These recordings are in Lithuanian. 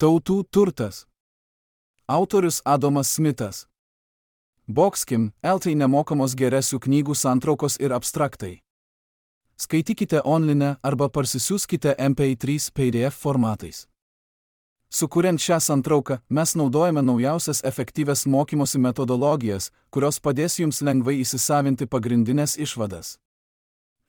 Tautų turtas. Autorius Adomas Smithas. Boxkim, LT nemokamos geresių knygų santraukos ir abstraktai. Skaitykite online arba parsisiųskite MP3 PDF formatais. Sukuriant šią santrauką, mes naudojame naujausias efektyvias mokymosi metodologijas, kurios padės jums lengvai įsisavinti pagrindinės išvadas.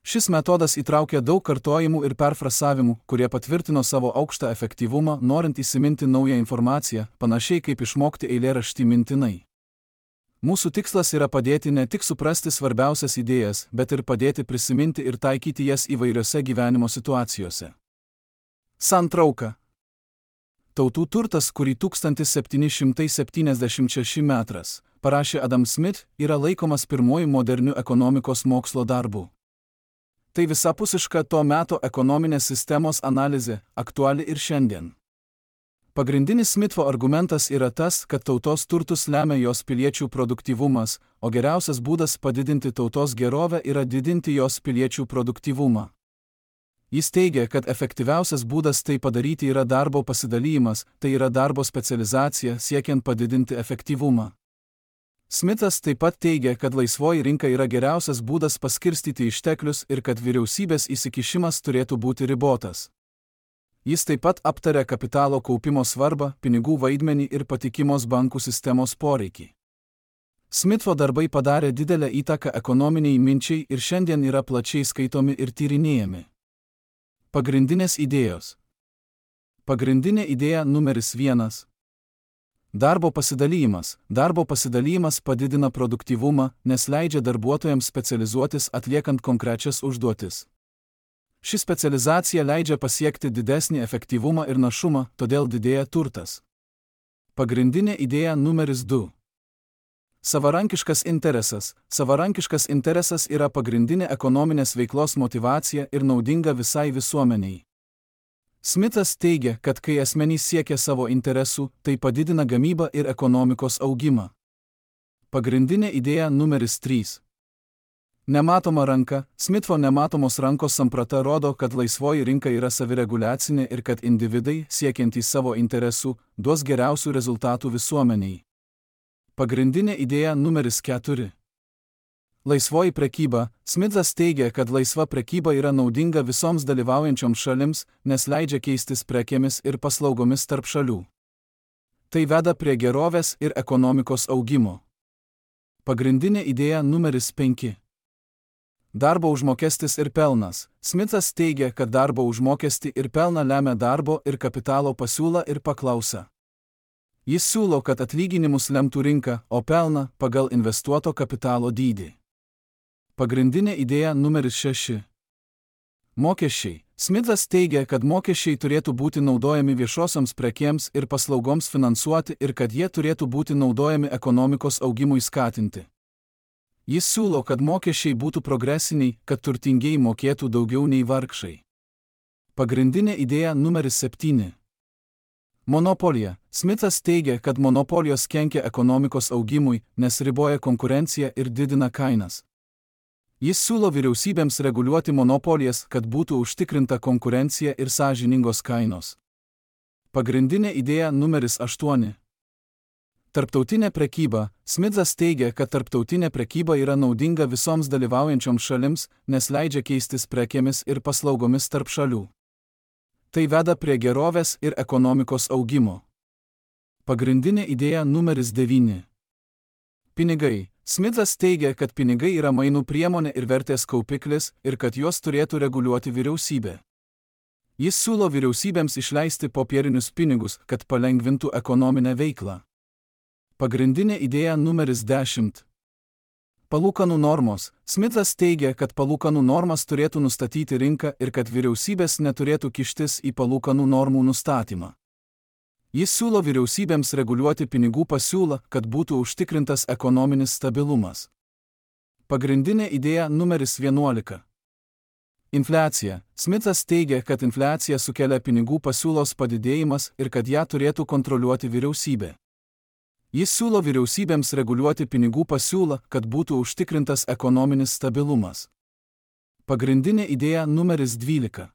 Šis metodas įtraukia daug kartojimų ir perfrasavimų, kurie patvirtino savo aukštą efektyvumą, norint įsiminti naują informaciją, panašiai kaip išmokti eilėraštį mintinai. Mūsų tikslas yra padėti ne tik suprasti svarbiausias idėjas, bet ir padėti prisiminti ir taikyti jas įvairiose gyvenimo situacijose. Santrauka. Tautų turtas, kurį 1776 metras parašė Adam Smith, yra laikomas pirmuoju moderniu ekonomikos mokslo darbu. Tai visapusiška to meto ekonominės sistemos analizė, aktuali ir šiandien. Pagrindinis Smitho argumentas yra tas, kad tautos turtus lemia jos piliečių produktyvumas, o geriausias būdas padidinti tautos gerovę yra didinti jos piliečių produktyvumą. Jis teigia, kad efektyviausias būdas tai padaryti yra darbo pasidalymas, tai yra darbo specializacija siekiant padidinti efektyvumą. Smithas taip pat teigia, kad laisvoji rinka yra geriausias būdas paskirstyti išteklius ir kad vyriausybės įsikišimas turėtų būti ribotas. Jis taip pat aptarė kapitalo kaupimo svarbą, pinigų vaidmenį ir patikimos bankų sistemos poreikį. Smitho darbai padarė didelę įtaką ekonominiai minčiai ir šiandien yra plačiai skaitomi ir tyrinėjami. Pagrindinės idėjos. Pagrindinė idėja numeris 1. Darbo pasidalymas. Darbo pasidalymas padidina produktyvumą, nes leidžia darbuotojams specializuotis atliekant konkrečias užduotis. Ši specializacija leidžia pasiekti didesnį efektyvumą ir našumą, todėl didėja turtas. Pagrindinė idėja numeris 2. Savarankiškas interesas. Savarankiškas interesas yra pagrindinė ekonominės veiklos motyvacija ir naudinga visai visuomeniai. Smithas teigia, kad kai asmenys siekia savo interesų, tai padidina gamybą ir ekonomikos augimą. Pagrindinė idėja numeris 3. Nematoma ranka. Smitho nematomos rankos samprata rodo, kad laisvoji rinka yra savireguliacinė ir kad individai, siekiantys savo interesų, duos geriausių rezultatų visuomeniai. Pagrindinė idėja numeris 4. Laisvoji prekyba. Smithas teigia, kad laisva prekyba yra naudinga visoms dalyvaujančioms šalims, nes leidžia keistis prekėmis ir paslaugomis tarp šalių. Tai veda prie gerovės ir ekonomikos augimo. Pagrindinė idėja numeris 5. Darbo užmokestis ir pelnas. Smithas teigia, kad darbo užmokestį ir pelną lemia darbo ir kapitalo pasiūla ir paklausa. Jis siūlo, kad atlyginimus lemtų rinka, o pelną pagal investuoto kapitalo dydį. Pagrindinė idėja numeris 6. Mokesčiai. Smithas teigia, kad mokesčiai turėtų būti naudojami viešosioms prekėms ir paslaugoms finansuoti ir kad jie turėtų būti naudojami ekonomikos augimui skatinti. Jis siūlo, kad mokesčiai būtų progresiniai, kad turtingieji mokėtų daugiau nei vargšai. Pagrindinė idėja numeris 7. Monopolija. Smithas teigia, kad monopolijos kenkia ekonomikos augimui, nes riboja konkurenciją ir didina kainas. Jis siūlo vyriausybėms reguliuoti monopolijas, kad būtų užtikrinta konkurencija ir sąžiningos kainos. Pagrindinė idėja numeris 8. Tarptautinė prekyba. Smithas teigia, kad tarptautinė prekyba yra naudinga visoms dalyvaujančioms šalims, nes leidžia keistis prekėmis ir paslaugomis tarp šalių. Tai veda prie gerovės ir ekonomikos augimo. Pagrindinė idėja numeris 9. Pinigai. Smithas teigia, kad pinigai yra mainų priemonė ir vertės kaupiklis ir kad juos turėtų reguliuoti vyriausybė. Jis siūlo vyriausybėms išleisti popierinius pinigus, kad palengvintų ekonominę veiklą. Pagrindinė idėja numeris 10. Palūkanų normos. Smithas teigia, kad palūkanų normas turėtų nustatyti rinka ir kad vyriausybės neturėtų kištis į palūkanų normų nustatymą. Jis siūlo vyriausybėms reguliuoti pinigų pasiūlą, kad būtų užtikrintas ekonominis stabilumas. Pagrindinė idėja numeris 11. Infliacija. Smithas teigia, kad infliacija sukelia pinigų pasiūlos padidėjimas ir kad ją turėtų kontroliuoti vyriausybė. Jis siūlo vyriausybėms reguliuoti pinigų pasiūlą, kad būtų užtikrintas ekonominis stabilumas. Pagrindinė idėja numeris 12.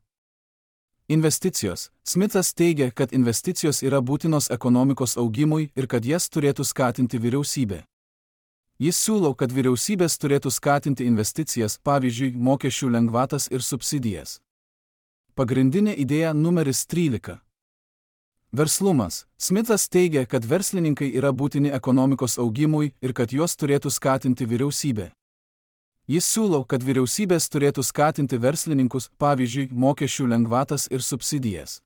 Investicijos. Smithas teigia, kad investicijos yra būtinos ekonomikos augimui ir kad jas turėtų skatinti vyriausybė. Jis siūlo, kad vyriausybės turėtų skatinti investicijas, pavyzdžiui, mokesčių lengvatas ir subsidijas. Pagrindinė idėja numeris 13. Verslumas. Smithas teigia, kad verslininkai yra būtini ekonomikos augimui ir kad juos turėtų skatinti vyriausybė. Jis siūlo, kad vyriausybės turėtų skatinti verslininkus, pavyzdžiui, mokesčių lengvatas ir subsidijas.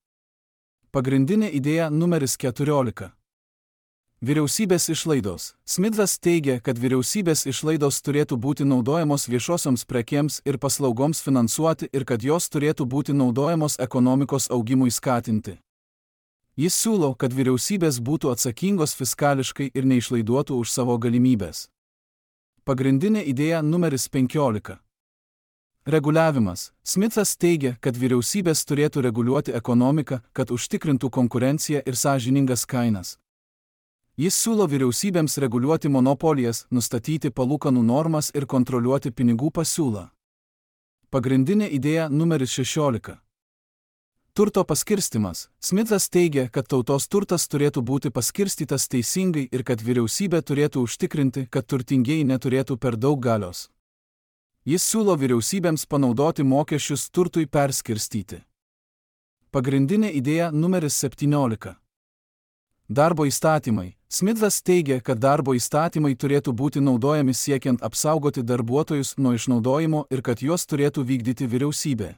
Pagrindinė idėja numeris 14. Vyriausybės išlaidos. Smithas teigia, kad vyriausybės išlaidos turėtų būti naudojamos viešosioms prekėms ir paslaugoms finansuoti ir kad jos turėtų būti naudojamos ekonomikos augimui skatinti. Jis siūlo, kad vyriausybės būtų atsakingos fiskališkai ir neišlaiduotų už savo galimybės. Pagrindinė idėja numeris 15. Reguliavimas. Smithas teigia, kad vyriausybės turėtų reguliuoti ekonomiką, kad užtikrintų konkurenciją ir sąžiningas kainas. Jis siūlo vyriausybėms reguliuoti monopolijas, nustatyti palūkanų normas ir kontroliuoti pinigų pasiūlą. Pagrindinė idėja numeris 16. Turto paskirstimas. Smithas teigia, kad tautos turtas turėtų būti paskirstytas teisingai ir kad vyriausybė turėtų užtikrinti, kad turtingieji neturėtų per daug galios. Jis siūlo vyriausybėms panaudoti mokesčius turtui perskirstyti. Pagrindinė idėja numeris 17. Darbo įstatymai. Smithas teigia, kad darbo įstatymai turėtų būti naudojami siekiant apsaugoti darbuotojus nuo išnaudojimo ir kad juos turėtų vykdyti vyriausybė.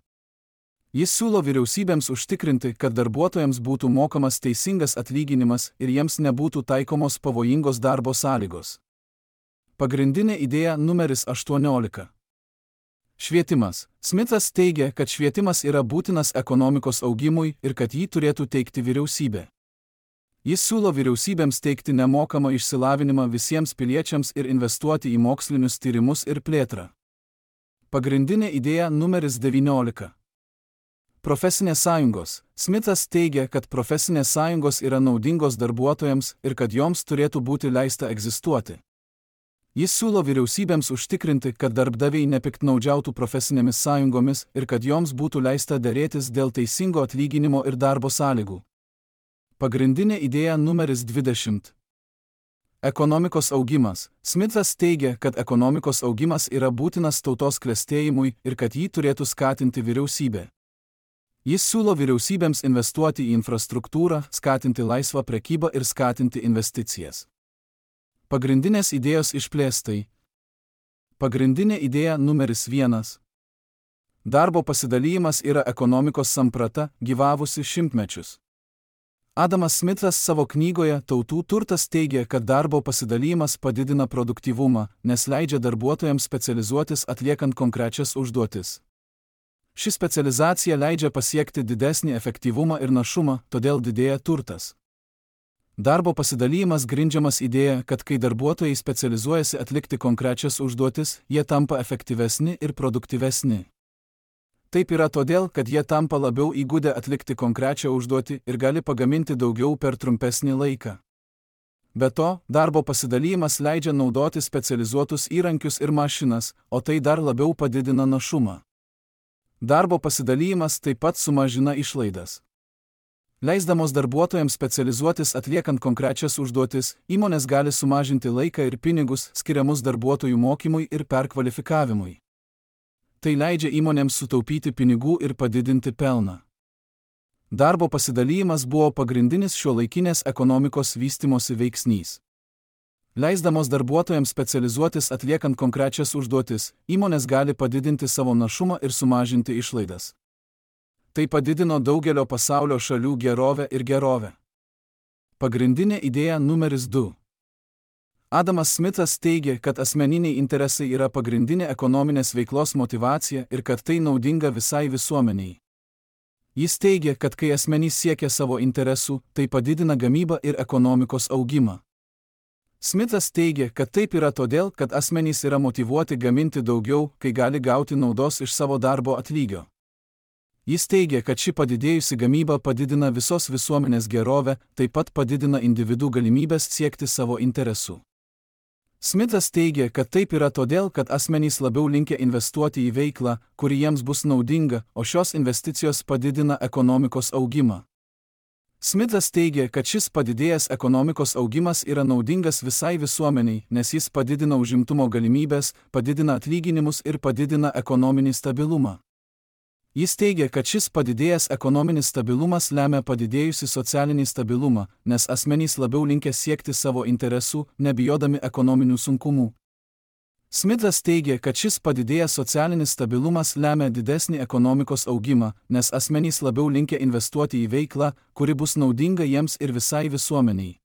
Jis siūlo vyriausybėms užtikrinti, kad darbuotojams būtų mokamas teisingas atlyginimas ir jiems nebūtų taikomos pavojingos darbo sąlygos. Pagrindinė idėja numeris 18. Švietimas. Smithas teigia, kad švietimas yra būtinas ekonomikos augimui ir kad jį turėtų teikti vyriausybė. Jis siūlo vyriausybėms teikti nemokamą išsilavinimą visiems piliečiams ir investuoti į mokslinius tyrimus ir plėtrą. Pagrindinė idėja numeris 19. Profesinės sąjungos. Smithas teigia, kad profesinės sąjungos yra naudingos darbuotojams ir kad joms turėtų būti leista egzistuoti. Jis siūlo vyriausybėms užtikrinti, kad darbdaviai nepiktnaudžiautų profesinėmis sąjungomis ir kad joms būtų leista derėtis dėl teisingo atlyginimo ir darbo sąlygų. Pagrindinė idėja numeris 20. Ekonomikos augimas. Smithas teigia, kad ekonomikos augimas yra būtinas tautos klestėjimui ir kad jį turėtų skatinti vyriausybė. Jis siūlo vyriausybėms investuoti į infrastruktūrą, skatinti laisvą prekybą ir skatinti investicijas. Pagrindinės idėjos išplėstai. Pagrindinė idėja numeris 1. Darbo pasidalymas yra ekonomikos samprata, gyvavusi šimtmečius. Adamas Smithas savo knygoje Tautų turtas teigia, kad darbo pasidalymas padidina produktyvumą, nes leidžia darbuotojams specializuotis atliekant konkrečias užduotis. Ši specializacija leidžia pasiekti didesnį efektyvumą ir našumą, todėl didėja turtas. Darbo pasidalymas grindžiamas idėja, kad kai darbuotojai specializuojasi atlikti konkrečias užduotis, jie tampa efektyvesni ir produktyvesni. Taip yra todėl, kad jie tampa labiau įgudę atlikti konkrečią užduotį ir gali pagaminti daugiau per trumpesnį laiką. Be to, darbo pasidalymas leidžia naudoti specializuotus įrankius ir mašinas, o tai dar labiau padidina našumą. Darbo pasidalymas taip pat sumažina išlaidas. Leisdamos darbuotojams specializuotis atliekant konkrečias užduotis, įmonės gali sumažinti laiką ir pinigus skiriamus darbuotojų mokymui ir perkvalifikavimui. Tai leidžia įmonėms sutaupyti pinigų ir padidinti pelną. Darbo pasidalymas buvo pagrindinis šiuolaikinės ekonomikos vystymosi veiksnys. Leisdamos darbuotojams specializuotis atliekant konkrečias užduotis, įmonės gali padidinti savo našumą ir sumažinti išlaidas. Tai padidino daugelio pasaulio šalių gerovę ir gerovę. Pagrindinė idėja numeris 2. Adamas Smithas teigia, kad asmeniniai interesai yra pagrindinė ekonominės veiklos motyvacija ir kad tai naudinga visai visuomeniai. Jis teigia, kad kai asmenys siekia savo interesų, tai padidina gamybą ir ekonomikos augimą. Smithas teigia, kad taip yra todėl, kad asmenys yra motyvuoti gaminti daugiau, kai gali gauti naudos iš savo darbo atlygio. Jis teigia, kad ši padidėjusi gamyba padidina visos visuomenės gerovę, taip pat padidina individų galimybės siekti savo interesų. Smithas teigia, kad taip yra todėl, kad asmenys labiau linkę investuoti į veiklą, kuri jiems bus naudinga, o šios investicijos padidina ekonomikos augimą. Smithas teigia, kad šis padidėjęs ekonomikos augimas yra naudingas visai visuomeniai, nes jis padidina užimtumo galimybės, padidina atlyginimus ir padidina ekonominį stabilumą. Jis teigia, kad šis padidėjęs ekonominis stabilumas lemia padidėjusį socialinį stabilumą, nes asmenys labiau linkę siekti savo interesų, nebijodami ekonominių sunkumų. Smithas teigia, kad šis padidėjęs socialinis stabilumas lemia didesnį ekonomikos augimą, nes asmenys labiau linkę investuoti į veiklą, kuri bus naudinga jiems ir visai visuomeniai.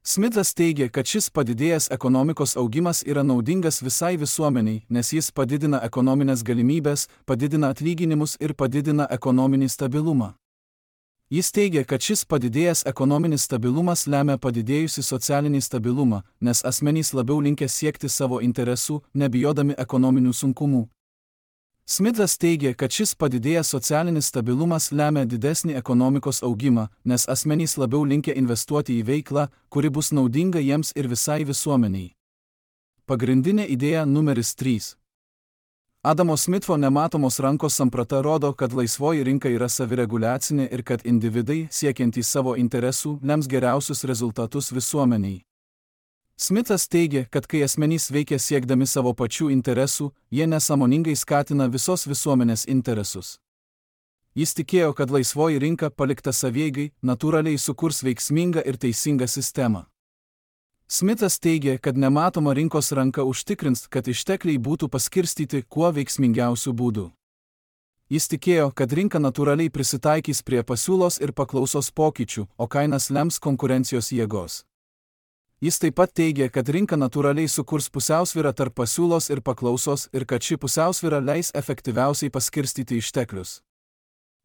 Smithas teigia, kad šis padidėjęs ekonomikos augimas yra naudingas visai visuomeniai, nes jis padidina ekonominės galimybės, padidina atlyginimus ir padidina ekonominį stabilumą. Jis teigia, kad šis padidėjęs ekonominis stabilumas lemia padidėjusį socialinį stabilumą, nes asmenys labiau linkę siekti savo interesų, nebijodami ekonominių sunkumų. Smithas teigia, kad šis padidėjęs socialinis stabilumas lemia didesnį ekonomikos augimą, nes asmenys labiau linkę investuoti į veiklą, kuri bus naudinga jiems ir visai visuomeniai. Pagrindinė idėja numeris 3. Adamo Smitho nematomos rankos samprata rodo, kad laisvoji rinka yra savireguliacinė ir kad individai, siekiantys savo interesų, lems geriausius rezultatus visuomeniai. Smithas teigia, kad kai asmenys veikia siekdami savo pačių interesų, jie nesąmoningai skatina visos visuomenės interesus. Jis tikėjo, kad laisvoji rinka, palikta savieigai, natūraliai sukurs veiksmingą ir teisingą sistemą. Smithas teigia, kad nematoma rinkos ranka užtikrins, kad ištekliai būtų paskirstyti kuo veiksmingiausių būdų. Jis tikėjo, kad rinka natūraliai prisitaikys prie pasiūlos ir paklausos pokyčių, o kainas lems konkurencijos jėgos. Jis taip pat teigia, kad rinka natūraliai sukurs pusiausvyrą tarp pasiūlos ir paklausos ir kad ši pusiausvyra leis efektyviausiai paskirstyti išteklius.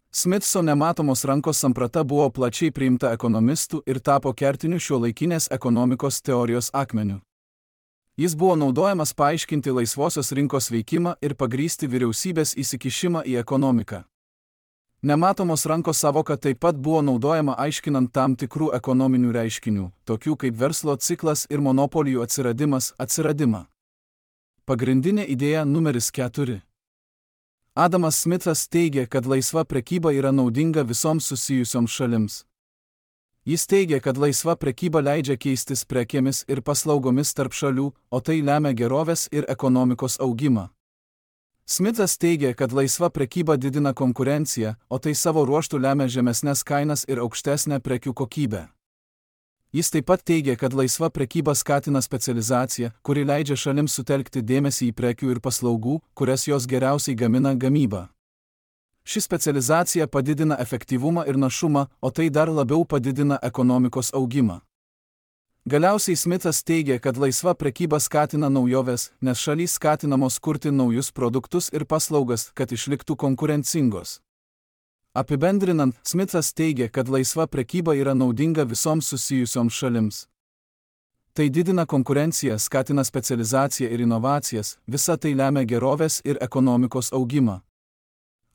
Smithso nematomos rankos samprata buvo plačiai priimta ekonomistų ir tapo kertiniu šiuolaikinės ekonomikos teorijos akmeniu. Jis buvo naudojamas paaiškinti laisvosios rinkos veikimą ir pagrįsti vyriausybės įsikišimą į ekonomiką. Nematomos rankos savoka taip pat buvo naudojama aiškinant tam tikrų ekonominių reiškinių, tokių kaip verslo ciklas ir monopolijų atsiradimą. Pagrindinė idėja numeris 4. Adamas Smithas teigia, kad laisva prekyba yra naudinga visoms susijusioms šalims. Jis teigia, kad laisva prekyba leidžia keistis prekėmis ir paslaugomis tarp šalių, o tai lemia gerovės ir ekonomikos augimą. Smithas teigia, kad laisva prekyba didina konkurenciją, o tai savo ruožtu lemia žemesnes kainas ir aukštesnę prekių kokybę. Jis taip pat teigia, kad laisva prekyba skatina specializaciją, kuri leidžia šalims sutelkti dėmesį į prekių ir paslaugų, kurias jos geriausiai gamina gamybą. Ši specializacija padidina efektyvumą ir našumą, o tai dar labiau padidina ekonomikos augimą. Galiausiai Smithas teigia, kad laisva prekyba skatina naujoves, nes šalys skatinamos kurti naujus produktus ir paslaugas, kad išliktų konkurencingos. Apibendrinant, Smithas teigia, kad laisva prekyba yra naudinga visoms susijusioms šalims. Tai didina konkurenciją, skatina specializaciją ir inovacijas, visa tai lemia gerovės ir ekonomikos augimą.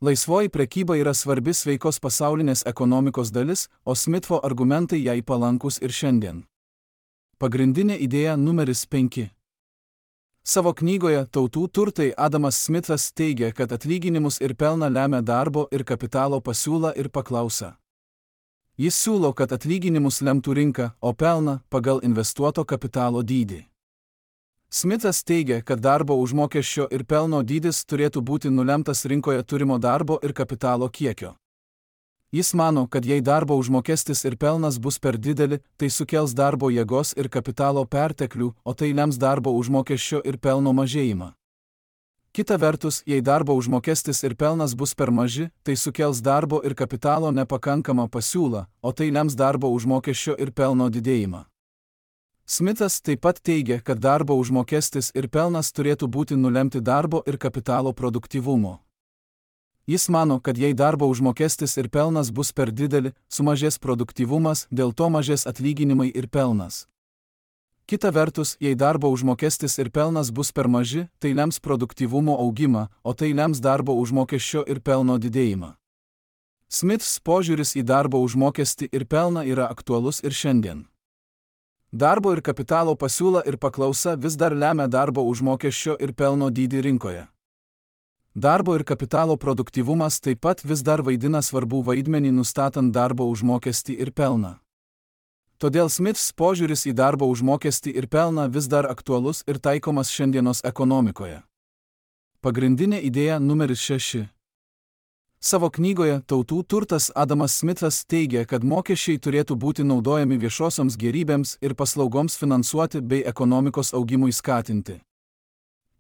Laisvoji prekyba yra svarbi sveikos pasaulinės ekonomikos dalis, o Smitho argumentai jai palankus ir šiandien. Pagrindinė idėja numeris 5. Savo knygoje Tautų turtai Adamas Smithas teigia, kad atlyginimus ir pelną lemia darbo ir kapitalo pasiūla ir paklausa. Jis siūlo, kad atlyginimus lemtų rinka, o pelną pagal investuoto kapitalo dydį. Smithas teigia, kad darbo užmokesčio ir pelno dydis turėtų būti nulemtas rinkoje turimo darbo ir kapitalo kiekio. Jis mano, kad jei darbo užmokestis ir pelnas bus per dideli, tai sukels darbo jėgos ir kapitalo perteklių, o tai lems darbo užmokesčio ir pelno mažėjimą. Kita vertus, jei darbo užmokestis ir pelnas bus per maži, tai sukels darbo ir kapitalo nepakankamą pasiūlą, o tai lems darbo užmokesčio ir pelno didėjimą. Smithas taip pat teigia, kad darbo užmokestis ir pelnas turėtų būti nulemti darbo ir kapitalo produktyvumo. Jis mano, kad jei darbo užmokestis ir pelnas bus per dideli, sumažės produktyvumas, dėl to mažės atlyginimai ir pelnas. Kita vertus, jei darbo užmokestis ir pelnas bus per maži, tai lems produktyvumo augimą, o tai lems darbo užmokesčio ir pelno didėjimą. Smiths požiūris į darbo užmokestį ir pelną yra aktualus ir šiandien. Darbo ir kapitalo pasiūla ir paklausa vis dar lemia darbo užmokesčio ir pelno dydį rinkoje. Darbo ir kapitalo produktyvumas taip pat vis dar vaidina svarbų vaidmenį nustatant darbo užmokestį ir pelną. Todėl Smiths požiūris į darbo užmokestį ir pelną vis dar aktualus ir taikomas šiandienos ekonomikoje. Pagrindinė idėja numeris 6. Savo knygoje Tautų turtas Adamas Smithas teigia, kad mokesčiai turėtų būti naudojami viešosioms gėrybėms ir paslaugoms finansuoti bei ekonomikos augimui skatinti.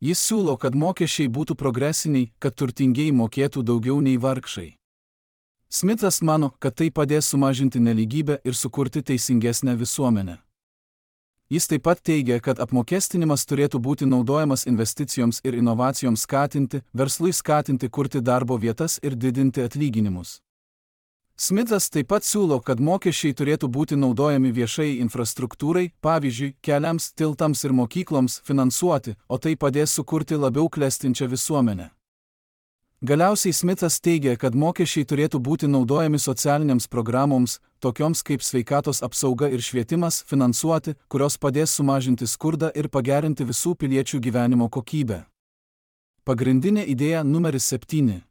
Jis siūlo, kad mokesčiai būtų progresiniai, kad turtingieji mokėtų daugiau nei vargšai. Smithas mano, kad tai padės sumažinti nelygybę ir sukurti teisingesnę visuomenę. Jis taip pat teigia, kad apmokestinimas turėtų būti naudojamas investicijoms ir inovacijoms skatinti, verslui skatinti kurti darbo vietas ir didinti atlyginimus. Smithas taip pat siūlo, kad mokesčiai turėtų būti naudojami viešai infrastruktūrai, pavyzdžiui, keliams, tiltams ir mokykloms finansuoti, o tai padės sukurti labiau klestinčią visuomenę. Galiausiai Smithas teigia, kad mokesčiai turėtų būti naudojami socialinėms programoms, tokioms kaip sveikatos apsauga ir švietimas, finansuoti, kurios padės sumažinti skurdą ir pagerinti visų piliečių gyvenimo kokybę. Pagrindinė idėja numeris 7.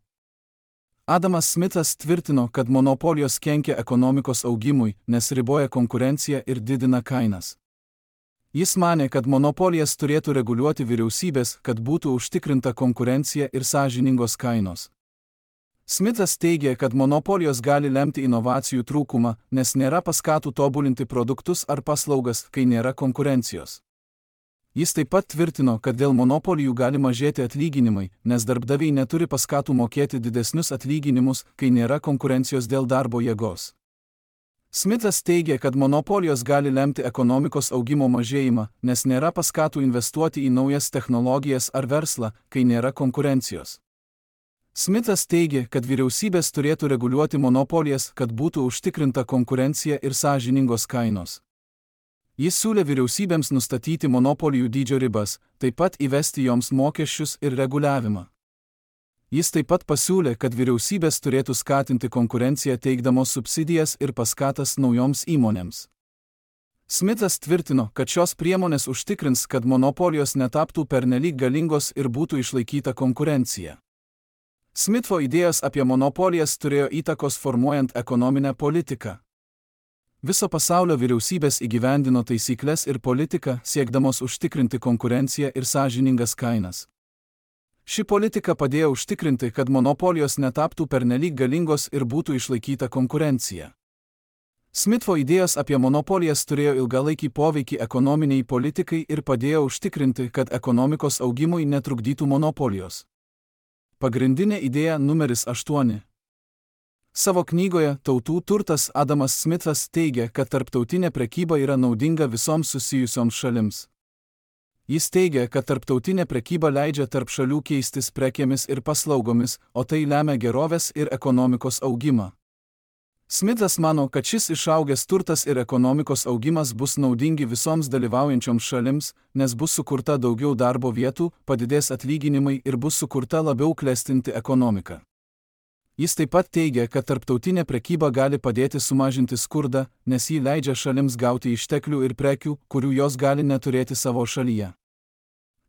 Adamas Smithas tvirtino, kad monopolijos kenkia ekonomikos augimui, nes riboja konkurenciją ir didina kainas. Jis manė, kad monopolijas turėtų reguliuoti vyriausybės, kad būtų užtikrinta konkurencija ir sąžiningos kainos. Smithas teigia, kad monopolijos gali lemti inovacijų trūkumą, nes nėra paskatų tobulinti produktus ar paslaugas, kai nėra konkurencijos. Jis taip pat tvirtino, kad dėl monopolijų gali mažėti atlyginimai, nes darbdaviai neturi paskatų mokėti didesnius atlyginimus, kai nėra konkurencijos dėl darbo jėgos. Smithas teigia, kad monopolijos gali lemti ekonomikos augimo mažėjimą, nes nėra paskatų investuoti į naujas technologijas ar verslą, kai nėra konkurencijos. Smithas teigia, kad vyriausybės turėtų reguliuoti monopolijas, kad būtų užtikrinta konkurencija ir sąžiningos kainos. Jis siūlė vyriausybėms nustatyti monopolijų dydžio ribas, taip pat įvesti joms mokesčius ir reguliavimą. Jis taip pat pasiūlė, kad vyriausybės turėtų skatinti konkurenciją teikdamos subsidijas ir paskatas naujoms įmonėms. Smithas tvirtino, kad šios priemonės užtikrins, kad monopolijos netaptų pernelyg galingos ir būtų išlaikyta konkurencija. Smitho idėjos apie monopolijas turėjo įtakos formuojant ekonominę politiką. Viso pasaulio vyriausybės įgyvendino taisyklės ir politiką, siekdamos užtikrinti konkurenciją ir sąžiningas kainas. Ši politika padėjo užtikrinti, kad monopolijos netaptų pernelyg galingos ir būtų išlaikyta konkurencija. Smitho idėjos apie monopolijas turėjo ilgalaikį poveikį ekonominiai politikai ir padėjo užtikrinti, kad ekonomikos augimui netrukdytų monopolijos. Pagrindinė idėja numeris 8. Savo knygoje Tautų turtas Adamas Smithas teigia, kad tarptautinė prekyba yra naudinga visoms susijusioms šalims. Jis teigia, kad tarptautinė prekyba leidžia tarp šalių keistis prekėmis ir paslaugomis, o tai lemia gerovės ir ekonomikos augimą. Smithas mano, kad šis išaugęs turtas ir ekonomikos augimas bus naudingi visoms dalyvaujančioms šalims, nes bus sukurta daugiau darbo vietų, padidės atlyginimai ir bus sukurta labiau klestinti ekonomika. Jis taip pat teigia, kad tarptautinė prekyba gali padėti sumažinti skurdą, nes ji leidžia šalims gauti išteklių ir prekių, kurių jos gali neturėti savo šalyje.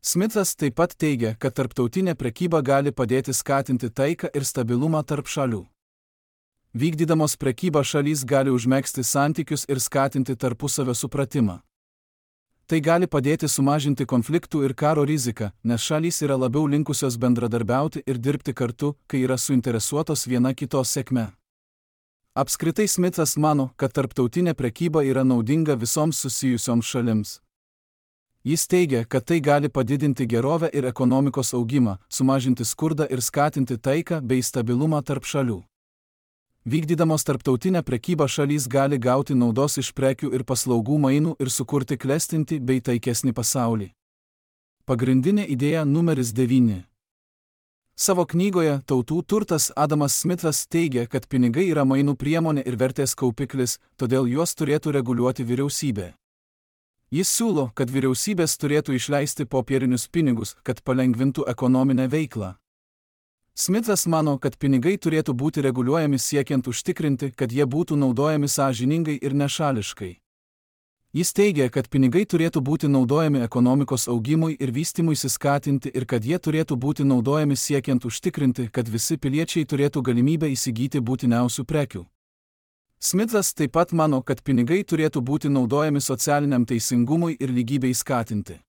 Smithas taip pat teigia, kad tarptautinė prekyba gali padėti skatinti taiką ir stabilumą tarp šalių. Vykdydamos prekybą šalys gali užmegzti santykius ir skatinti tarpusavio supratimą. Tai gali padėti sumažinti konfliktų ir karo riziką, nes šalys yra labiau linkusios bendradarbiauti ir dirbti kartu, kai yra suinteresuotos viena kitos sėkme. Apskritai Smithas mano, kad tarptautinė prekyba yra naudinga visoms susijusioms šalims. Jis teigia, kad tai gali padidinti gerovę ir ekonomikos augimą, sumažinti skurdą ir skatinti taiką bei stabilumą tarp šalių. Vykdydamos tarptautinę prekybą šalys gali gauti naudos iš prekių ir paslaugų mainų ir sukurti klestinti bei taikesnį pasaulį. Pagrindinė idėja numeris 9. Savo knygoje Tautų turtas Adamas Smithas teigia, kad pinigai yra mainų priemonė ir vertės kaupiklis, todėl juos turėtų reguliuoti vyriausybė. Jis siūlo, kad vyriausybės turėtų išleisti popierinius pinigus, kad palengvintų ekonominę veiklą. Smithas mano, kad pinigai turėtų būti reguliuojami siekiant užtikrinti, kad jie būtų naudojami sąžiningai ir nešališkai. Jis teigia, kad pinigai turėtų būti naudojami ekonomikos augimui ir vystymuisi skatinti ir kad jie turėtų būti naudojami siekiant užtikrinti, kad visi piliečiai turėtų galimybę įsigyti būtiniausių prekių. Smithas taip pat mano, kad pinigai turėtų būti naudojami socialiniam teisingumui ir lygybei skatinti.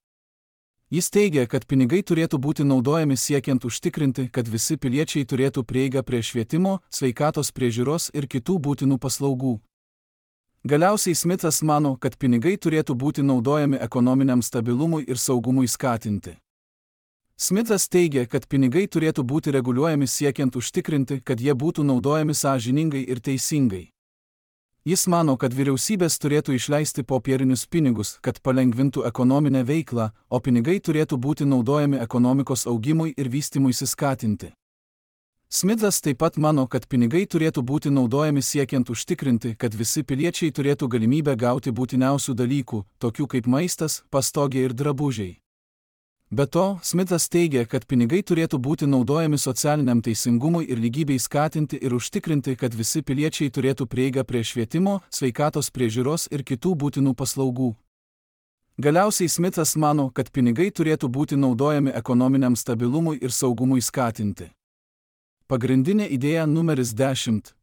Jis teigia, kad pinigai turėtų būti naudojami siekiant užtikrinti, kad visi piliečiai turėtų prieigą prie švietimo, sveikatos priežiūros ir kitų būtinų paslaugų. Galiausiai Smithas mano, kad pinigai turėtų būti naudojami ekonominiam stabilumui ir saugumui skatinti. Smithas teigia, kad pinigai turėtų būti reguliuojami siekiant užtikrinti, kad jie būtų naudojami sąžiningai ir teisingai. Jis mano, kad vyriausybės turėtų išleisti popierinius pinigus, kad palengvintų ekonominę veiklą, o pinigai turėtų būti naudojami ekonomikos augimui ir vystymuisi skatinti. Smithas taip pat mano, kad pinigai turėtų būti naudojami siekiant užtikrinti, kad visi piliečiai turėtų galimybę gauti būtiniausių dalykų, tokių kaip maistas, pastogė ir drabužiai. Be to, Smithas teigia, kad pinigai turėtų būti naudojami socialiniam teisingumui ir lygybei skatinti ir užtikrinti, kad visi piliečiai turėtų prieigą prie švietimo, sveikatos priežiūros ir kitų būtinų paslaugų. Galiausiai Smithas mano, kad pinigai turėtų būti naudojami ekonominiam stabilumui ir saugumui skatinti. Pagrindinė idėja numeris 10.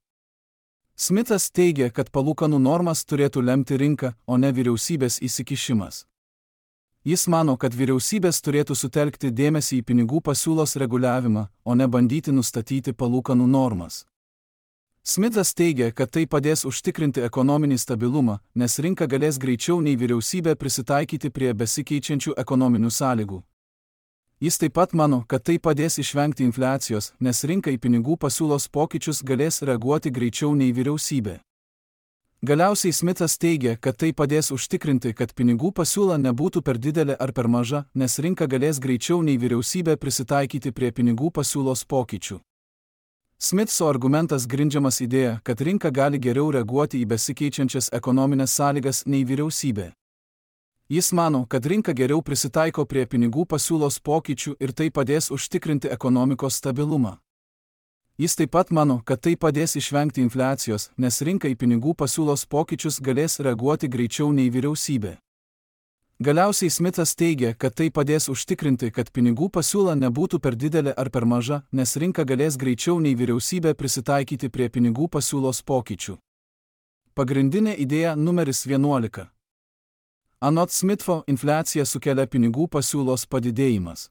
Smithas teigia, kad palūkanų normas turėtų lemti rinką, o ne vyriausybės įsikišimas. Jis mano, kad vyriausybės turėtų sutelkti dėmesį į pinigų pasiūlos reguliavimą, o ne bandyti nustatyti palūkanų normas. Smithas teigia, kad tai padės užtikrinti ekonominį stabilumą, nes rinka galės greičiau nei vyriausybė prisitaikyti prie besikeičiančių ekonominių sąlygų. Jis taip pat mano, kad tai padės išvengti infliacijos, nes rinka į pinigų pasiūlos pokyčius galės reaguoti greičiau nei vyriausybė. Galiausiai Smithas teigia, kad tai padės užtikrinti, kad pinigų pasiūla nebūtų per didelė ar per maža, nes rinka galės greičiau nei vyriausybė prisitaikyti prie pinigų pasiūlos pokyčių. Smithso argumentas grindžiamas idėja, kad rinka gali geriau reaguoti į besikeičiančias ekonominės sąlygas nei vyriausybė. Jis mano, kad rinka geriau prisitaiko prie pinigų pasiūlos pokyčių ir tai padės užtikrinti ekonomikos stabilumą. Jis taip pat mano, kad tai padės išvengti infliacijos, nes rinka į pinigų pasiūlos pokyčius galės reaguoti greičiau nei vyriausybė. Galiausiai Smithas teigia, kad tai padės užtikrinti, kad pinigų pasiūla nebūtų per didelė ar per maža, nes rinka galės greičiau nei vyriausybė prisitaikyti prie pinigų pasiūlos pokyčių. Pagrindinė idėja numeris 11. Anot Smitho, infliaciją sukelia pinigų pasiūlos padidėjimas.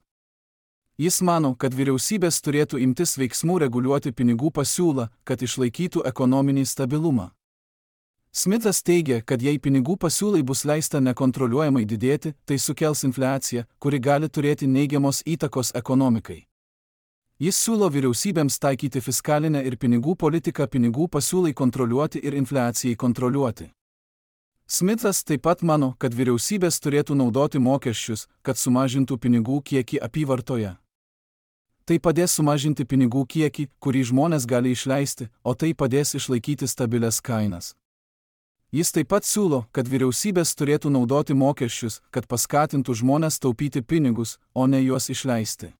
Jis mano, kad vyriausybės turėtų imtis veiksmų reguliuoti pinigų pasiūlą, kad išlaikytų ekonominį stabilumą. Smithas teigia, kad jei pinigų pasiūlai bus leista nekontroliuojamai didėti, tai sukels infliaciją, kuri gali turėti neigiamos įtakos ekonomikai. Jis siūlo vyriausybėms taikyti fiskalinę ir pinigų politiką pinigų pasiūlai kontroliuoti ir infliacijai kontroliuoti. Smithas taip pat mano, kad vyriausybės turėtų naudoti mokesčius, kad sumažintų pinigų kiekį apyvartoje. Tai padės sumažinti pinigų kiekį, kurį žmonės gali išleisti, o tai padės išlaikyti stabilias kainas. Jis taip pat siūlo, kad vyriausybės turėtų naudoti mokesčius, kad paskatintų žmonės taupyti pinigus, o ne juos išleisti.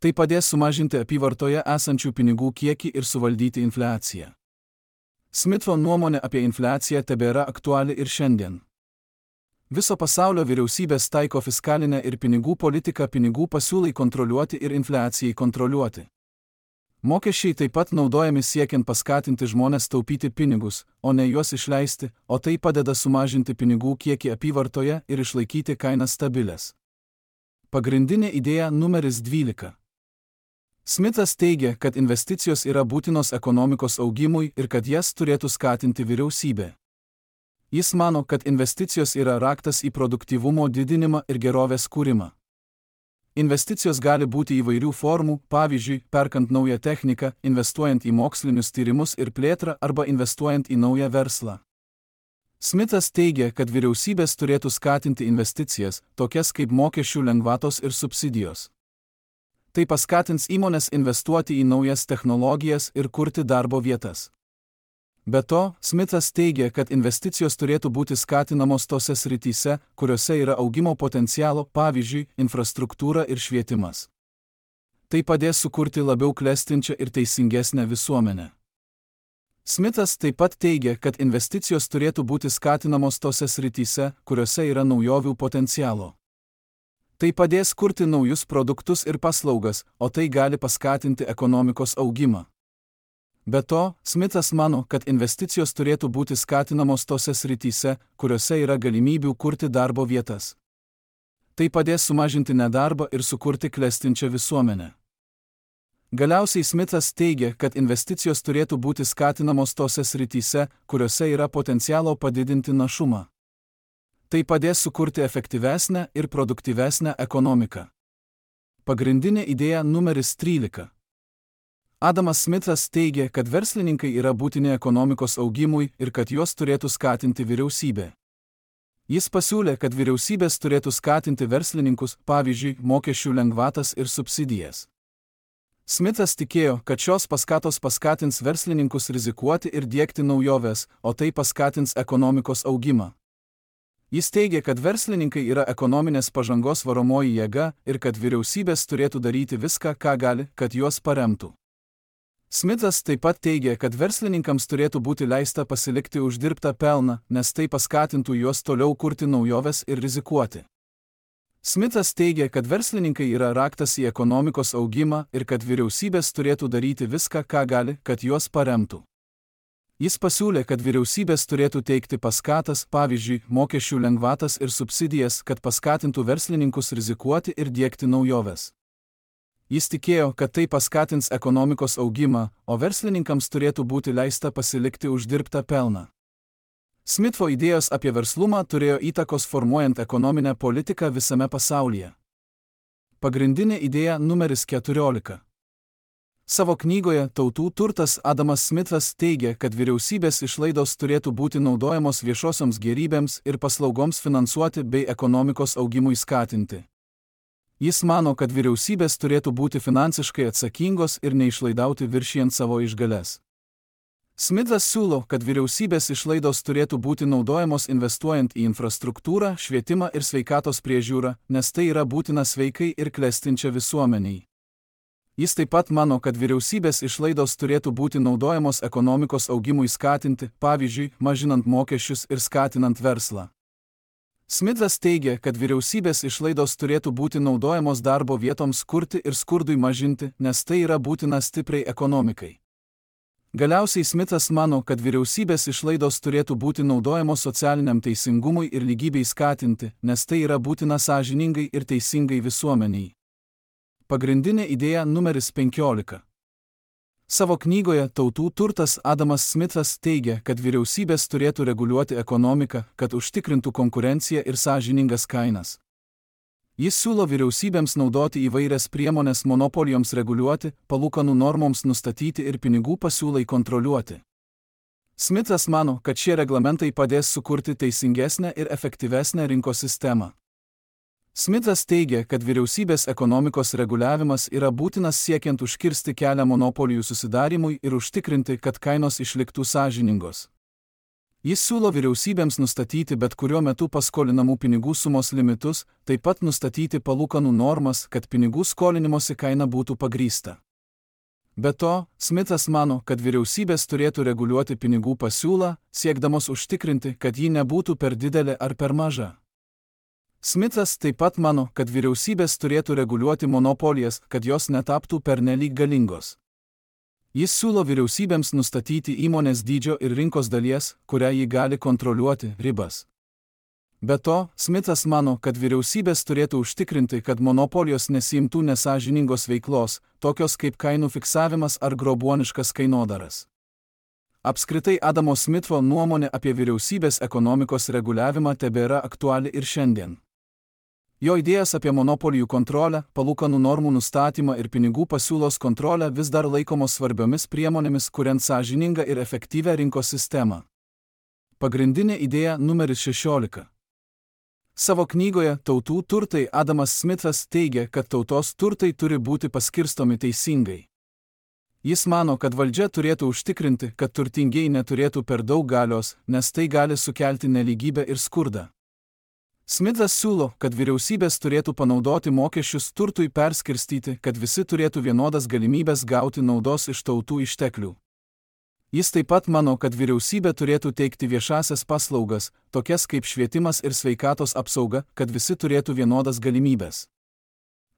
Tai padės sumažinti apyvartoje esančių pinigų kiekį ir suvaldyti infliaciją. Smitho nuomonė apie infliaciją tebėra aktuali ir šiandien. Viso pasaulio vyriausybės taiko fiskalinę ir pinigų politiką pinigų pasiūlai kontroliuoti ir infliacijai kontroliuoti. Mokesčiai taip pat naudojami siekiant paskatinti žmonės taupyti pinigus, o ne juos išleisti, o tai padeda sumažinti pinigų kiekį apyvartoje ir išlaikyti kainas stabilės. Pagrindinė idėja numeris 12. Smithas teigia, kad investicijos yra būtinos ekonomikos augimui ir kad jas turėtų skatinti vyriausybė. Jis mano, kad investicijos yra raktas į produktyvumo didinimą ir gerovės kūrimą. Investicijos gali būti įvairių formų, pavyzdžiui, perkant naują techniką, investuojant į mokslinius tyrimus ir plėtrą arba investuojant į naują verslą. Smithas teigia, kad vyriausybės turėtų skatinti investicijas, tokias kaip mokesčių lengvatos ir subsidijos. Tai paskatins įmonės investuoti į naujas technologijas ir kurti darbo vietas. Be to, Smithas teigia, kad investicijos turėtų būti skatinamos tose srityse, kuriuose yra augimo potencialo, pavyzdžiui, infrastruktūra ir švietimas. Tai padės sukurti labiau klestinčią ir teisingesnę visuomenę. Smithas taip pat teigia, kad investicijos turėtų būti skatinamos tose srityse, kuriuose yra naujovių potencialo. Tai padės kurti naujus produktus ir paslaugas, o tai gali paskatinti ekonomikos augimą. Be to, Smithas mano, kad investicijos turėtų būti skatinamos tose srityse, kuriuose yra galimybių kurti darbo vietas. Tai padės sumažinti nedarbą ir sukurti klestinčią visuomenę. Galiausiai Smithas teigia, kad investicijos turėtų būti skatinamos tose srityse, kuriuose yra potencialo padidinti našumą. Tai padės sukurti efektyvesnę ir produktyvesnę ekonomiką. Pagrindinė idėja numeris 13. Adamas Smithas teigia, kad verslininkai yra būtini ekonomikos augimui ir kad juos turėtų skatinti vyriausybė. Jis pasiūlė, kad vyriausybės turėtų skatinti verslininkus, pavyzdžiui, mokesčių lengvatas ir subsidijas. Smithas tikėjo, kad šios paskatos paskatins verslininkus rizikuoti ir diegti naujoves, o tai paskatins ekonomikos augimą. Jis teigia, kad verslininkai yra ekonominės pažangos varomoji jėga ir kad vyriausybės turėtų daryti viską, ką gali, kad juos paremtų. Smithas taip pat teigia, kad verslininkams turėtų būti leista pasilikti uždirbtą pelną, nes tai paskatintų juos toliau kurti naujoves ir rizikuoti. Smithas teigia, kad verslininkai yra raktas į ekonomikos augimą ir kad vyriausybės turėtų daryti viską, ką gali, kad juos paremtų. Jis pasiūlė, kad vyriausybės turėtų teikti paskatas, pavyzdžiui, mokesčių lengvatas ir subsidijas, kad paskatintų verslininkus rizikuoti ir diegti naujoves. Jis tikėjo, kad tai paskatins ekonomikos augimą, o verslininkams turėtų būti leista pasilikti uždirbtą pelną. Smitho idėjos apie verslumą turėjo įtakos formuojant ekonominę politiką visame pasaulyje. Pagrindinė idėja numeris 14. Savo knygoje Tautų turtas Adamas Smithas teigia, kad vyriausybės išlaidos turėtų būti naudojamos viešosioms gėrybėms ir paslaugoms finansuoti bei ekonomikos augimui skatinti. Jis mano, kad vyriausybės turėtų būti finansiškai atsakingos ir neišlaidauti viršijant savo išgales. Smithas siūlo, kad vyriausybės išlaidos turėtų būti naudojamos investuojant į infrastruktūrą, švietimą ir sveikatos priežiūrą, nes tai yra būtina sveikai ir klestinčia visuomeniai. Jis taip pat mano, kad vyriausybės išlaidos turėtų būti naudojamos ekonomikos augimui skatinti, pavyzdžiui, mažinant mokesčius ir skatinant verslą. Smithas teigia, kad vyriausybės išlaidos turėtų būti naudojamos darbo vietoms kurti ir skurdui mažinti, nes tai yra būtina stipriai ekonomikai. Galiausiai Smithas mano, kad vyriausybės išlaidos turėtų būti naudojamos socialiniam teisingumui ir lygybei skatinti, nes tai yra būtina sąžiningai ir teisingai visuomeniai. Pagrindinė idėja numeris 15. Savo knygoje Tautų turtas Adamas Smithas teigia, kad vyriausybės turėtų reguliuoti ekonomiką, kad užtikrintų konkurenciją ir sąžiningas kainas. Jis siūlo vyriausybėms naudoti įvairias priemonės monopolijoms reguliuoti, palūkanų normoms nustatyti ir pinigų pasiūlai kontroliuoti. Smithas mano, kad šie reglamentai padės sukurti teisingesnę ir efektyvesnę rinkos sistemą. Smithas teigia, kad vyriausybės ekonomikos reguliavimas yra būtinas siekiant užkirsti kelią monopolijų susidarimui ir užtikrinti, kad kainos išliktų sąžiningos. Jis siūlo vyriausybėms nustatyti bet kuriuo metu paskolinamų pinigų sumos limitus, taip pat nustatyti palūkanų normas, kad pinigų skolinimosi kaina būtų pagrįsta. Be to, Smithas mano, kad vyriausybės turėtų reguliuoti pinigų pasiūlą, siekdamos užtikrinti, kad ji nebūtų per didelė ar per maža. Smithas taip pat mano, kad vyriausybės turėtų reguliuoti monopolijas, kad jos netaptų pernelyg galingos. Jis siūlo vyriausybėms nustatyti įmonės dydžio ir rinkos dalies, kurią ji gali kontroliuoti, ribas. Be to, Smithas mano, kad vyriausybės turėtų užtikrinti, kad monopolijos nesiimtų nesąžiningos veiklos, tokios kaip kainų fiksavimas ar grobuoniškas kainodaras. Apskritai Adamo Smitho nuomonė apie vyriausybės ekonomikos reguliavimą tebėra aktuali ir šiandien. Jo idėjas apie monopolijų kontrolę, palūkanų normų nustatymą ir pinigų pasiūlos kontrolę vis dar laikomos svarbiomis priemonėmis, kuriant sąžiningą ir efektyvią rinkos sistemą. Pagrindinė idėja numeris 16. Savo knygoje Tautų turtai Adamas Smithas teigia, kad tautos turtai turi būti paskirstomi teisingai. Jis mano, kad valdžia turėtų užtikrinti, kad turtingieji neturėtų per daug galios, nes tai gali sukelti nelygybę ir skurdą. Smithas siūlo, kad vyriausybės turėtų panaudoti mokesčius turtui perskirstyti, kad visi turėtų vienodas galimybės gauti naudos iš tautų išteklių. Jis taip pat mano, kad vyriausybė turėtų teikti viešasias paslaugas, tokias kaip švietimas ir sveikatos apsauga, kad visi turėtų vienodas galimybės.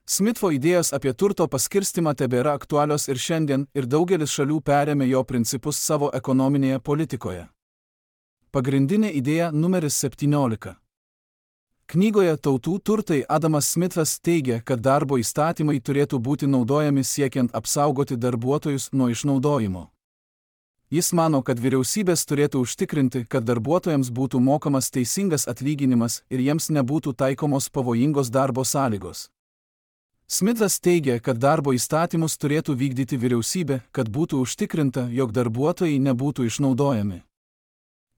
Smitho idėjos apie turto paskirstimą tebėra aktualios ir šiandien, ir daugelis šalių perėmė jo principus savo ekonominėje politikoje. Pagrindinė idėja numeris 17. Knygoje Tautų turtai Adamas Smithas teigia, kad darbo įstatymai turėtų būti naudojami siekiant apsaugoti darbuotojus nuo išnaudojimo. Jis mano, kad vyriausybės turėtų užtikrinti, kad darbuotojams būtų mokamas teisingas atlyginimas ir jiems nebūtų taikomos pavojingos darbo sąlygos. Smithas teigia, kad darbo įstatymus turėtų vykdyti vyriausybė, kad būtų užtikrinta, jog darbuotojai nebūtų išnaudojami.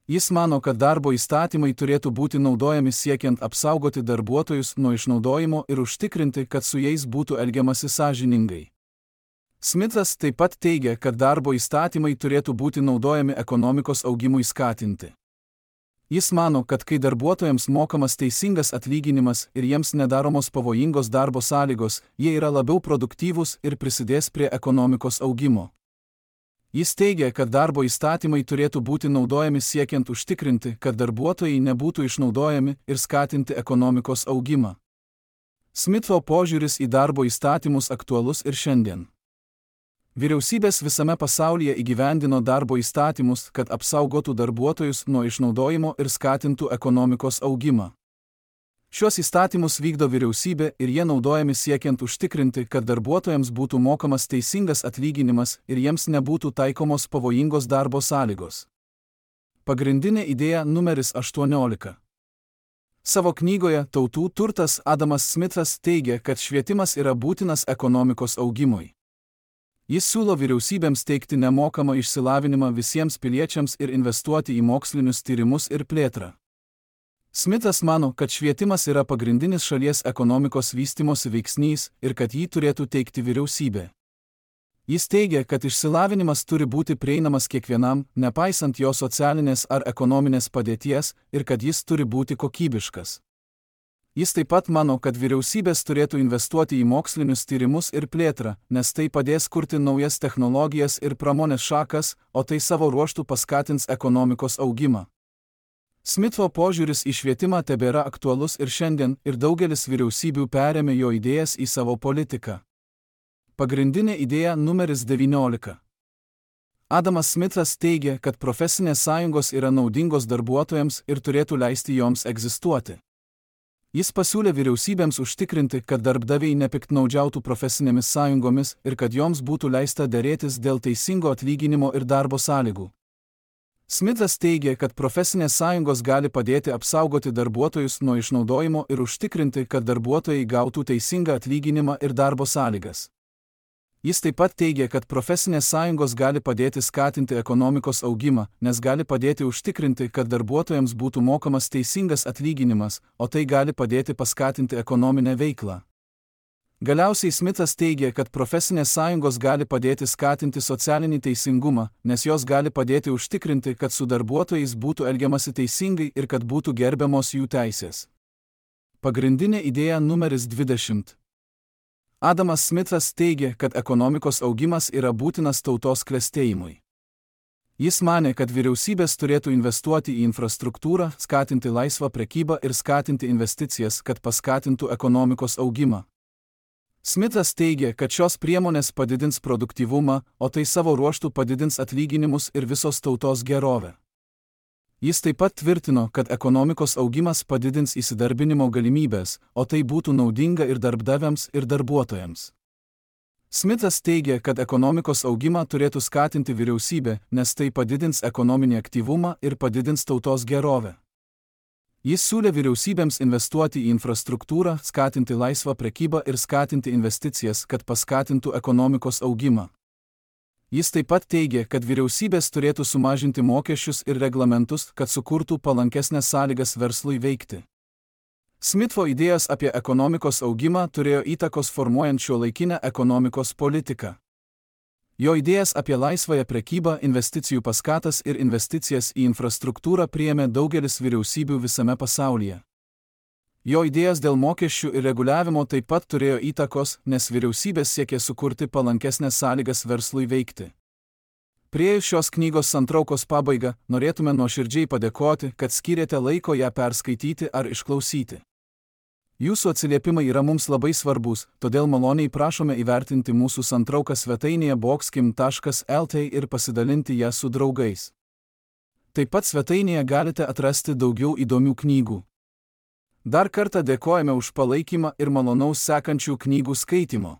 Jis mano, kad darbo įstatymai turėtų būti naudojami siekiant apsaugoti darbuotojus nuo išnaudojimo ir užtikrinti, kad su jais būtų elgiamasi sąžiningai. Smithas taip pat teigia, kad darbo įstatymai turėtų būti naudojami ekonomikos augimui skatinti. Jis mano, kad kai darbuotojams mokamas teisingas atlyginimas ir jiems nedaromos pavojingos darbo sąlygos, jie yra labiau produktyvūs ir prisidės prie ekonomikos augimo. Jis teigia, kad darbo įstatymai turėtų būti naudojami siekiant užtikrinti, kad darbuotojai nebūtų išnaudojami ir skatinti ekonomikos augimą. Smitho požiūris į darbo įstatymus aktualus ir šiandien. Vyriausybės visame pasaulyje įgyvendino darbo įstatymus, kad apsaugotų darbuotojus nuo išnaudojimo ir skatintų ekonomikos augimą. Šios įstatymus vykdo vyriausybė ir jie naudojami siekiant užtikrinti, kad darbuotojams būtų mokamas teisingas atlyginimas ir jiems nebūtų taikomos pavojingos darbo sąlygos. Pagrindinė idėja numeris 18. Savo knygoje Tautų turtas Adamas Smithas teigia, kad švietimas yra būtinas ekonomikos augimui. Jis siūlo vyriausybėms teikti nemokamą išsilavinimą visiems piliečiams ir investuoti į mokslinius tyrimus ir plėtrą. Smithas mano, kad švietimas yra pagrindinis šalies ekonomikos vystymosi veiksnys ir kad jį turėtų teikti vyriausybė. Jis teigia, kad išsilavinimas turi būti prieinamas kiekvienam, nepaisant jo socialinės ar ekonominės padėties, ir kad jis turi būti kokybiškas. Jis taip pat mano, kad vyriausybės turėtų investuoti į mokslinius tyrimus ir plėtrą, nes tai padės kurti naujas technologijas ir pramonės šakas, o tai savo ruožtu paskatins ekonomikos augimą. Smitho požiūris į švietimą tebėra aktualus ir šiandien, ir daugelis vyriausybių perėmė jo idėjas į savo politiką. Pagrindinė idėja numeris 19. Adamas Smithas teigia, kad profesinės sąjungos yra naudingos darbuotojams ir turėtų leisti joms egzistuoti. Jis pasiūlė vyriausybėms užtikrinti, kad darbdaviai nepiktnaudžiautų profesinėmis sąjungomis ir kad joms būtų leista derėtis dėl teisingo atlyginimo ir darbo sąlygų. Smithas teigia, kad profesinės sąjungos gali padėti apsaugoti darbuotojus nuo išnaudojimo ir užtikrinti, kad darbuotojai gautų teisingą atlyginimą ir darbo sąlygas. Jis taip pat teigia, kad profesinės sąjungos gali padėti skatinti ekonomikos augimą, nes gali padėti užtikrinti, kad darbuotojams būtų mokamas teisingas atlyginimas, o tai gali padėti paskatinti ekonominę veiklą. Galiausiai Smithas teigia, kad profesinės sąjungos gali padėti skatinti socialinį teisingumą, nes jos gali padėti užtikrinti, kad su darbuotojais būtų elgiamasi teisingai ir kad būtų gerbiamos jų teisės. Pagrindinė idėja numeris 20. Adamas Smithas teigia, kad ekonomikos augimas yra būtinas tautos klestėjimui. Jis manė, kad vyriausybės turėtų investuoti į infrastruktūrą, skatinti laisvą prekybą ir skatinti investicijas, kad paskatintų ekonomikos augimą. Smithas teigia, kad šios priemonės padidins produktyvumą, o tai savo ruožtu padidins atlyginimus ir visos tautos gerovę. Jis taip pat tvirtino, kad ekonomikos augimas padidins įsidarbinimo galimybės, o tai būtų naudinga ir darbdaviams, ir darbuotojams. Smithas teigia, kad ekonomikos augimą turėtų skatinti vyriausybė, nes tai padidins ekonominį aktyvumą ir padidins tautos gerovę. Jis siūlė vyriausybėms investuoti į infrastruktūrą, skatinti laisvą prekybą ir skatinti investicijas, kad paskatintų ekonomikos augimą. Jis taip pat teigia, kad vyriausybės turėtų sumažinti mokesčius ir reglamentus, kad sukurtų palankesnės sąlygas verslui veikti. Smitho idėjos apie ekonomikos augimą turėjo įtakos formuojant šiuolaikinę ekonomikos politiką. Jo idėjas apie laisvąją prekybą, investicijų paskatas ir investicijas į infrastruktūrą priėmė daugelis vyriausybių visame pasaulyje. Jo idėjas dėl mokesčių ir reguliavimo taip pat turėjo įtakos, nes vyriausybės siekė sukurti palankesnės sąlygas verslui veikti. Priėjus šios knygos santraukos pabaigą, norėtume nuoširdžiai padėkoti, kad skyrėte laiko ją perskaityti ar išklausyti. Jūsų atsiliepimai yra mums labai svarbus, todėl maloniai prašome įvertinti mūsų santrauką svetainėje boxkim.lt ir pasidalinti ją su draugais. Taip pat svetainėje galite atrasti daugiau įdomių knygų. Dar kartą dėkojame už palaikymą ir malonaus sekančių knygų skaitimo.